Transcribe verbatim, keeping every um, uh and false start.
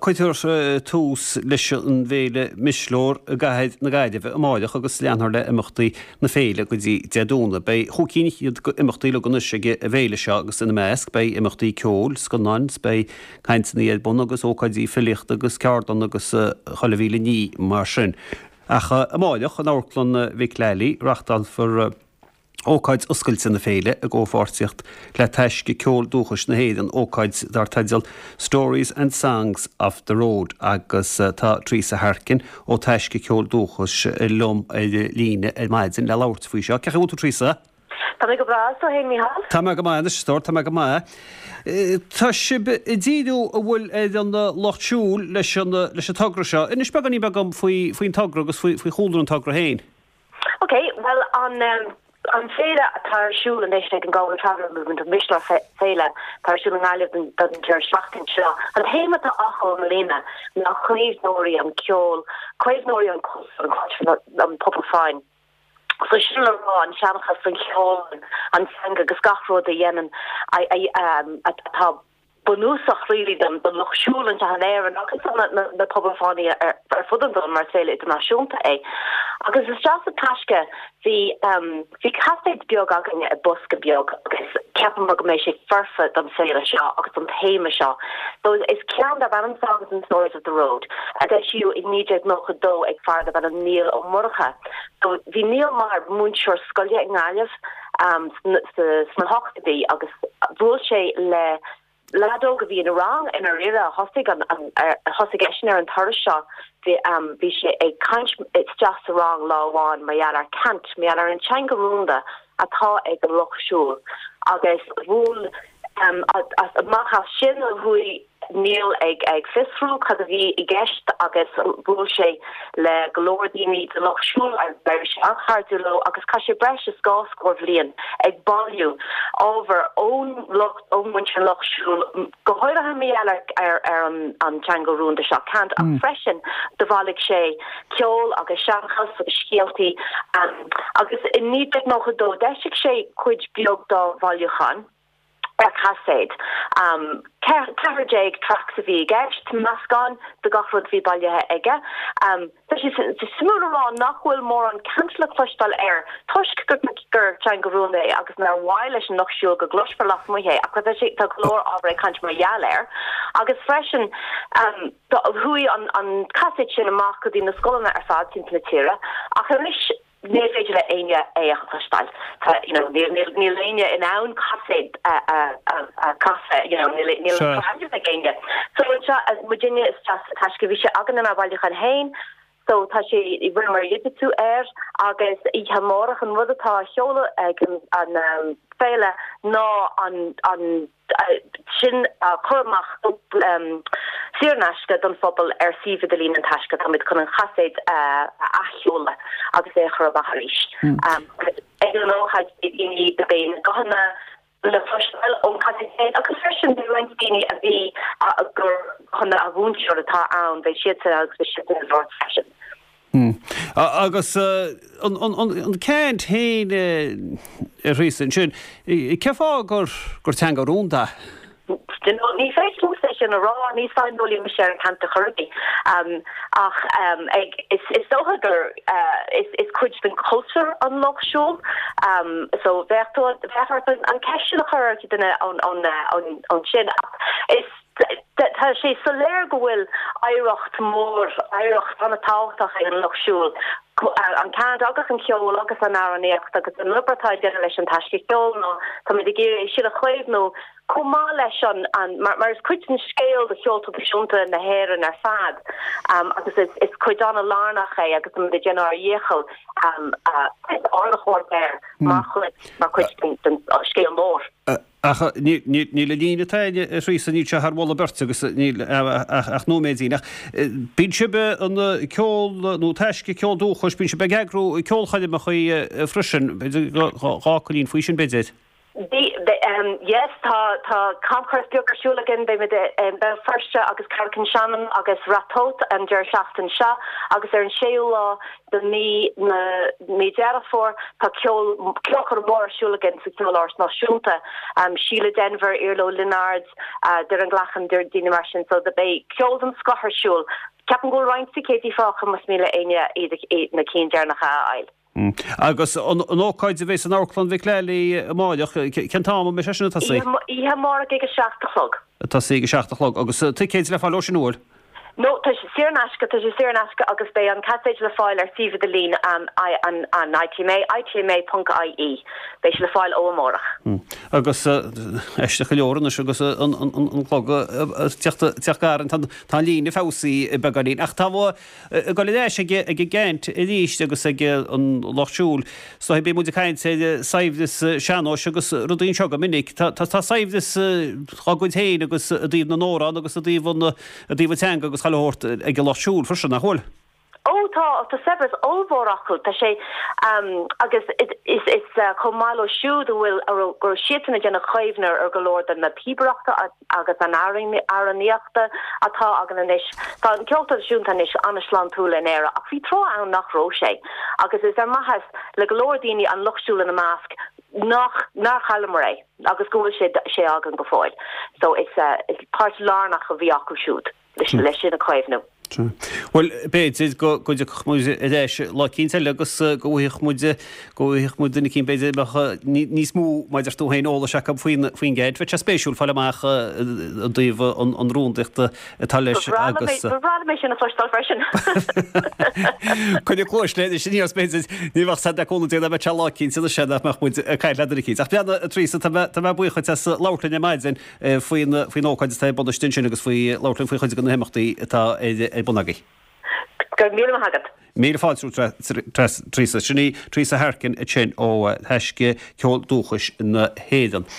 Cuirfear tús leis an bhféile Misleor i gcathair na Gaillimhe amáireach agus leanfar le imeachtaí na féile go dtí Dé Domhnaigh. Beidh chúig cinn d'imeachtaí uilig anois ag an bhféile seo agus ina measc beidh imeachtaí ceoil, scannáin, beidh cainteanna ar bun agus ócáidí filíochta agus ceardlanna agus chuile mhíle ní mar sin. Ach amáireach in Amharclann Mhic Lally reáchtálfar ócáid oscailte na féile i gcomhpháirtíocht le Taisce Ceol Dúchais na hÉireann, ócáid dar teideal Stories and Songs of the Road agus tá Teresa Harkin ó Taisce Ceol Dúchais liom ar líne ar maidin le labhairt faoi seo. Cén chaoi a bhfuil tú Teresa? Tá mé go breá tú féin Micheál? Tá mé go maith anois tá mé go maith. Tá sibh ag díriú an bhfuil ar an lucht siúil leis an leis an togra seo. Inis beagáinín beag dom faoi faoin togra agus faoi faoi chúlra an togra féin. Ok, well an um, an féile atá ar siúl anois ag an Galway Traveller Movement an Misleor Féile tá ar siúl i nGaillimh don deireadh seachtaine seo. An téama atá acu i mbliana ná caomhnóirí an ceol, caomhnóirí an an an pobal fáin. So sin le rá an seanchas an ceol an teanga agus gach rud a dhéanann atá bunúsach really don don lucht siúil anseo in Éirinn agus na, na, na pobail fánaí ar, ar fud an domhain mar féile idirnáisiúnta é. Agus isteach sa taisce bhí um, bhí caiféid beag againne i bosca beag agus cheapamar go mbeidh sé foirfe don féile seo agus don téama seo. So is ceann darb ainm Songs and Stories of the Road a eisíodh i naoi déag nócha dó ag fear darb ainm Niall Ó Murchadha. So bhí Niall mar mhúinteoir scoile i nGaillimh um, sna hochtóidí agus bhuail sé le leaid óg a bhí ina rang ina rire thosaigh an thosaigh eisean ar an turas seo bhí um, bhí sé ag caint isteach sa rang lá amháin mar gheall ar cant mar gheall ar an teanga rúnda atá ag an lucht siúil agus bhuail um, amach as sin a chuaigh Niall ag ag fiosrú cad a bhí i gceist agus bhuail sé le go leor daoine den lucht siúil agus sé an-chairdiúil leo agus chaith sé breis is dhá scór bliain ag bailiú ábhar ón lucht ón muintir lucht siúil go háirithe mar ar ar an an teanga rúnda seo cant ach mm. freisin do bhailigh sé ceol agus seanchas agus scéaltaí um, agus i naoi déag nócha dó d'eisigh sé cuid beag dá bhailiúchán ar chaiséad. Um, ceathair déag tracks a bhí i gceist meascán de gach rud bhí bailithe aige. Um, Tá sé suimiúil a rá nach bhfuil mórán cant le cloisteáil air toisc gur gur teanga rúnda é agus nár mhaith leis an lucht siúil go gcloisfear lasmuigh é ach tá sé tá go leor ábhar ag caint mar gheall air. Agus freisin um, chuaigh an, an caiséad sin amach go dtí na scoileanna ar fad timpeall na tíre ach anois ní féidir le éinne é a chloisteáil. You know, níl éinne in ann caiséad a chasadh you know, níl ag éinne. So muidinne taisce bhí sé againn inár mbailiúchán féin, so tá sé rinneamar digitiú air agus oíche amárach an rud atá á sheoladh ag an, an um, féile ná an, an sin a chur amach um, saor in aisce don phobal ar suíomh idirlín an taisce táimid chun an chaiséad uh, a athsheoladh agus é chur amach arís. Mm. Um, ag an ócáid daoine beidh na guthanna le cloisteáil ón chaiséad agus freisin bhí roinnt daoine a bhí gur chun a mhúinteoir atá ann bheidh siad agus bheidh siad ag labhairt freisin. Mm. Agus an, an, an, an cant féin a Threasa sin, cén fáth gur gur teanga rúnda? Ní féidir liomsa sin a rá ní saineolaí mise ar an cant a churbaí um, ach um, ag, is, is dócha gur uh, is, is cuid den cultúr an lucht siúil um, so bheadh bheadh an ceist sin a chur ar duine an, an, an, an sin ach is tá sé soiléir go bhfuil oidhreacht mór oidhreacht an-tábhachtach ag an lucht siúil an cant agus an ceol agus an amhránaíocht agus an obair atá déanta leis an taisce ceol nó tá muid ag iarraidh sin a chaomhnú chomh maith leis an, an mar, mar is cuid den scéal de cheol traidisiúnta na hÉireann ar fad um, agus is, is cuid an-lárnach é agus tá muid ag déanamh ár ndícheall um, uh, aird air mar chuid mar chuid den, den scéal mór. Uh, Ach ní le líne tá Threasa níl sé thar mholadh beirte agus níl ach nóiméidín ach bíonn sibh an ceol nó taisce ceol dúchais bíonn sibh ag eagrú ceolchoirmeacha freisin dhá choilín faoi sin b'fhéidir. The, um, yes tá tá camchuairt beag ar siúl againn beimid um, Béal Feirste agus Carrick-on-Shannon agus Ratoath an deireadh seachtaine seo agus ar an séú lá de mí na mí Deireadh Fómhair tá ceol ceolchoirm mór ar siúl againn sa Cheoláras Náisiúnta um, Síle Denvir Iarla Ó Lionáird uh, Doireann Glachan daoine mar sin so de beidh ceol den scoth ar siúl. Ceapaim go bhfuil roinnt ticéidí fágtha más mian le éinne iad na cinn deireanacha a fháil. Mm. Agus an ócáid a bheas in Amharclann Mhic Lelly amárach cén t-am a mbeidh sé sin ag tosaí? Oíche amárach ag a seacht a chlog. Tosaí ag a seacht a chlog agus ticéid le fáil sin uair? No tá sé saor in aisce tá sé saor in aisce agus beidh an caifé le fáil ar suíomh idirlín um, an, an ITMA itma.ie beidh sé le fáil ó amárach. Mm. Agus aisteach go leor anois agus an an clog teacht gar tá líne feabhsaithe beagáinín ach tá go leis ag ag gcaint arís agus ag an lucht siúil so bhí muid ag caint ar saibhreas sean-nóis agus rudaí seo go minic tá tá saibhreas dá gcuid féin agus i dtaobh na n-amhrán agus i dtaobh an i dtaobh an teanga agus chailthóirt ag an lucht siúil freisin nach bhfuil. Ó tá tá saibhreas ollmhór acu tá sé um, agus is is, is uh, chomh maith leo siúd bhfuil gur siadsan a dhéanann caomhnú ar go leor den na píobaireachta agus an amhránaíochta atá againn anois Tá an ceol traidisiúnta anois an-sláintiúil in Éirinn ach bhí tráth ann nach raibh sé agus is ar maitheas le go leor daoine an lucht siúil ina measc nach nár chailleamar é agus go bhfuil sé sé againn go fóill. So is uh, is páirt lárnach a bhí acu siúd leis leis sin a chaomhnú. Well b'fhéidir go go muid leis lá eicínt eile agus go bhfuigheadh muid go bhfuigheadh muid duine eicínt b'fhéidir níos mó maidir tú féin eolais acu faoin faoin gceid, Bheadh sé spéisiúil fáil amach i dtaobh an an rúndaíochta atá leis agus mé sin a chloisteáil freisin. Chuine clóis le sin ní b'fhéidir ní bheadh sé de cúnamh Dé me lá eicínt se nach muid caint le duine eicínt. Ach bean Teresa tá mé buíoch as labhairt linn ar maidin faoin faoin ócáid atá ar bun sin agus faoi labhairt linn faoi chuid de na himeachtaí atá ar bun agaibh. Go míle maith agat. Míle fáilte Teresa sin í Teresa Harkin ansin ó Thaisce Ceol Dúchais na hÉireann.